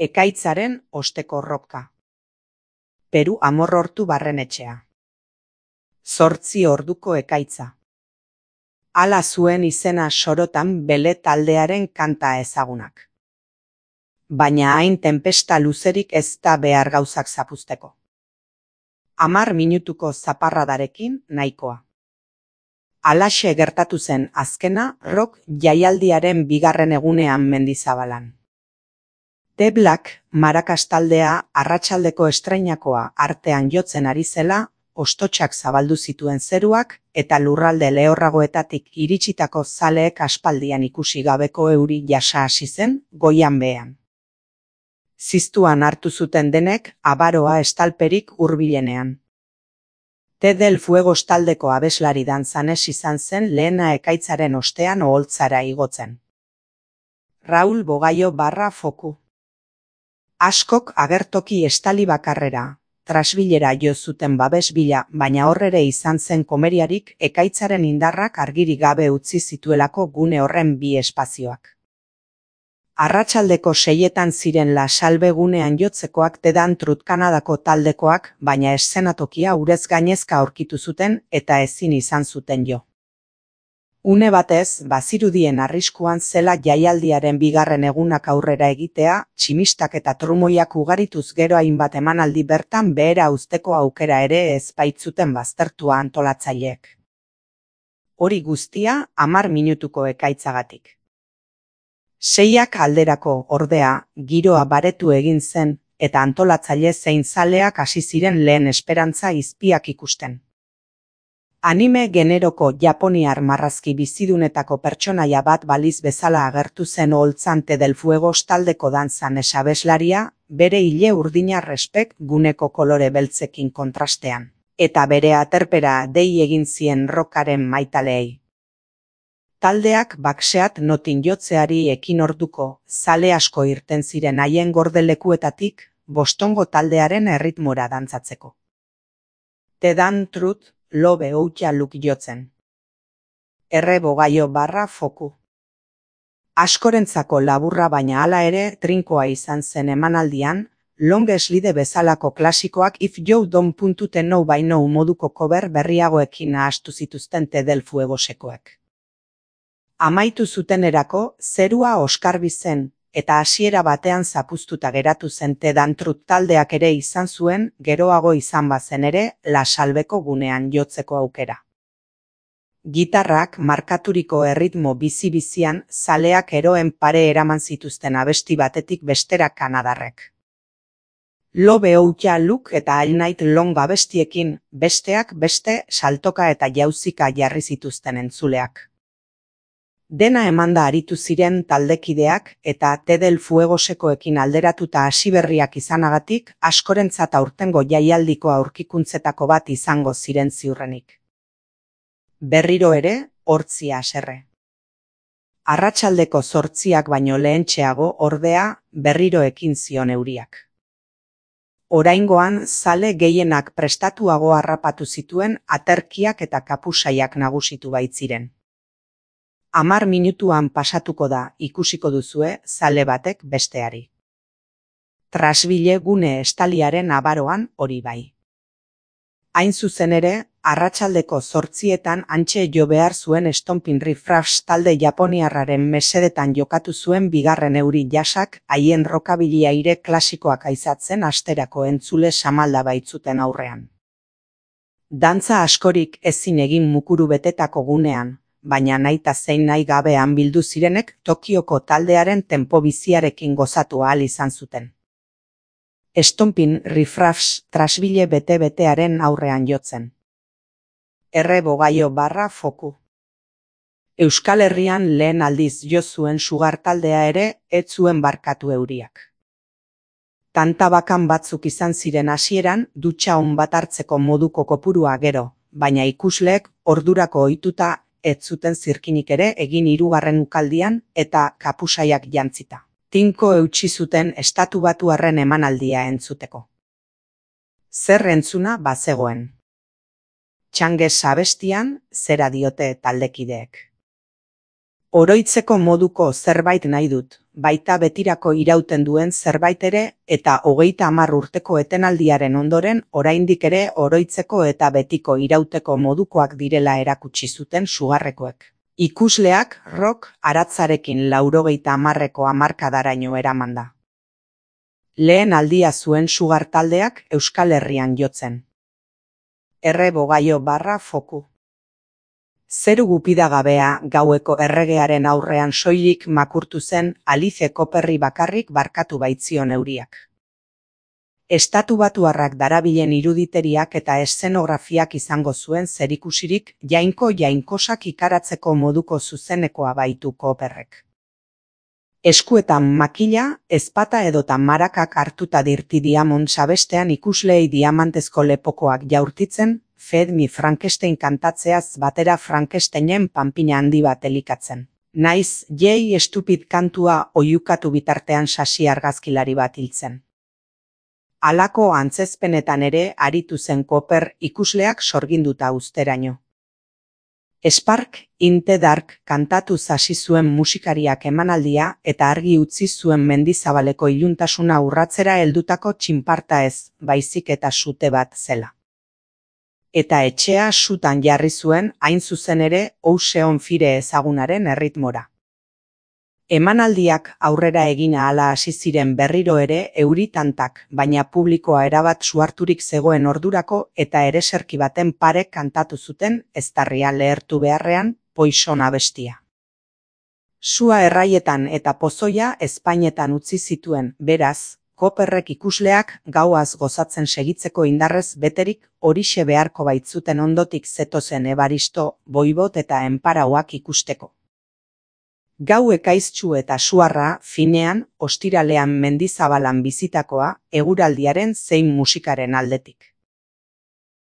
Ekaitzaren osteko ropka. Peru Amorrortu barrenetxea. 8 orduko ekaitza. Hala zuen izena sorotan bele taldearen kanta ezagunak. Baina hain tenpesta luzerik ez da behar gauzak zapuzteko. 10 minutuko zaparradarekin nahikoa. Halaxe gertatu zen azkena rock jaialdiaren 2. egunean Mendizabalan. The Black Maracas taldea arratsaldeko estreinakoa artean jotzen ari zela, ostotxak zabaldu zituen zeruak eta lurralde lehorragoetatik iritsitako zaleek aspaldian ikusi gabeko euri jasa hasi zen goian behean. Ziztuan hartu zuten denek abaroa estalperik hurbilenean. The del Fuegos taldeko abeslari dantzanez izan zen lehena ekaitzaren ostean oholtzara igotzen. Raul Bogaio /Foku. Askok agertoki estali bakarrera, trasbilera jo zuten babes bila, baina horrere izan zen komeriarik ekaitzaren indarrak argirik gabe utzi zituelako gune horren bi espazioak. Arratsaldeko 6etan ziren La Salve gunean jotzekoak The Dantrut Kanadako taldekoak, baina eszenatokia urez gainezka aurkitu zuten eta ezin izan zuten jo. Une batez, bazirudien arriskuan zela jaialdiaren 2. egunak aurrera egitea, tximistak eta trumoiak ugarituz gero hainbat emanaldi bertan behera uzteko aukera ere ez baitzuten baztertua antolatzaileek. Hori guztia 10 minutuko ekaitzagatik. 6 alderako ordea, giroa baretu egin zen, eta antolatzaile zein zaleak hasi ziren lehen esperantza izpiak ikusten. Anime generoko japoniar marrazki bizidunetako pertsonaia bat baliz bezala agertu zen oholtzan The del Fuegos taldeko dantzan abeslaria, bere ile urdina respek guneko kolore beltzekin kontrastean, eta bere aterpera dei egin zien rockaren maitaleei. Taldeak Backseat Notin jotzeari ekin orduko, zale asko irten ziren haien gordelekuetatik, Bostongo taldearen erritmora dantzatzeko. The Dantrut Lobe Outja Luk jotzen. R. Bogaio /Foku. Askorentzako laburra baina hala ere trinkoa izan zen emanaldian, Long Slide bezalako klasikoak If You Don't Know By Now moduko cover berriagoekin nahastu zituzten The del Fuegosekoek. Amaitu zutenerako zerua oskarbi zen, eta hasiera batean zapuztuta geratu zen The Dantrut taldeak ere izan zuen, geroago izan bazen ere, La Salveko gunean jotzeko aukera. Gitarrak markaturiko erritmo bizi-bizian zaleak eroen pare eraman zituzten abesti batetik bestera kanadarrek. Lobe Outja Luk eta All Night Long abestiekin, besteak beste saltoka eta jauzika jarri zituzten entzuleak. Dena emanda aritu ziren taldekideak eta The del Fuegosekoekin alderatuta hasiberriak izanagatik askorentzat aurtengo jaialdiko aurkikuntzetako bat izango ziren ziurrenik. Berriro ere, hortzi haserre. Arratsaldeko 8 baino lehentxeago ordea berriro ekin zion euriak. Oraingoan zale gehienak prestatuago harrapatu zituen aterkiak eta kapusaiak nagusitu baitziren. 10 minutuan pasatuko da, ikusiko duzue zale batek besteari. Trasbile gune estaliaren abaroan hori bai. Hain zuzen ere, arratsaldeko 8etan hantxe jo behar zuen Stompin' Riffraffs talde japoniarraren mesedetan jokatu zuen 2. euri jasak haien rockabilly aire klasikoak aizatzen asterako entzule samalda baitzuten aurrean. Dantza askorik ezin egin mukuru betetako gunean, baina nahita zein nahi gabean bildu zirenek Tokioko taldearen tempo biziarekin gozatu ahal izan zuten. Stompin' Riffraffs trasbile bete-betearen aurrean jotzen. R. Bogaio /Foku. Euskal Herrian lehen aldiz jo zuen Sugar taldea ere ez zuen barkatu euriak. Tanta bakan batzuk izan ziren hasieran dutxa on bat hartzeko moduko kopurua gero, baina ikusleek ordurako ohituta ez zuten zirkinik ere egin 3. ukaldian eta kapusaiak jantzita. Tinko eutsi zuten estatubatuarren emanaldia entzuteko. Zer entzuna bazegoen. Txanges abestian zera diote taldekideek. Oroitzeko moduko zerbait nahi dut, baita betirako irauten duen zerbait ere, eta 30 urteko etenaldiaren ondoren oraindik ere oroitzeko eta betiko irauteko modukoak direla erakutsi zuten sugarrekoek. Ikusleak rock aratzarekin 90eko hamarkadaraino eraman da. Lehen aldia zuen sugar taldeak Euskal Herrian jotzen. /foku. Zeru gupidagabea gaueko erregearen aurrean soilik makurtu zen Alice Cooperri bakarrik barkatu baitzion euriak. Estatubatuarrak darabilen iruditeriak eta eszenografiak izango zuen zerikusirik jainkosak ikaratzeko moduko zuzenekoa baitu Cooperrek. Eskuetan makila, ezpata edota marakak hartuta dirti Diamond sabestean ikusleei diamantezko lepokoak jaurtitzen, Feed Me Frankenstein kantatzeaz batera Frankensteinen panpina handi bat elikatzen. Naiz Jay Stupid kantua oihukatu bitartean sasi argazkilari bat hiltzen. Halako antzezpenetan ere aritu zen Cooper ikusleak sorginduta uzteraino. Spark in the Dark kantatu hasi zuen musikariak emanaldia eta argi utzi zuen Mendizabaleko iluntasuna urratzera heldutako txinparta ez, baizik eta sute bat zela. Eta etxea sutan jarri zuen hain zuzen ere House on Fire ezagunaren erritmora. Emanaldiak aurrera egin ahala hasi ziren berriro ere euritantak, baina publikoa erabat suharturik zegoen ordurako eta ereserki baten pare kantatu zuten eztarria lehertu beharrean Poison abestia. Sua erraietan eta pozoia ezpainetan utzi zituen, beraz, Cooperrek ikusleak gauaz gozatzen segitzeko indarrez beterik horixe beharko baitzuten ondotik zetozen Ebaristo, Boibot eta Enparauak ikusteko. Gau ekaiztsu eta suarra, finean, ostiralean Mendizabalan bizitakoa, eguraldiaren zein musikaren aldetik.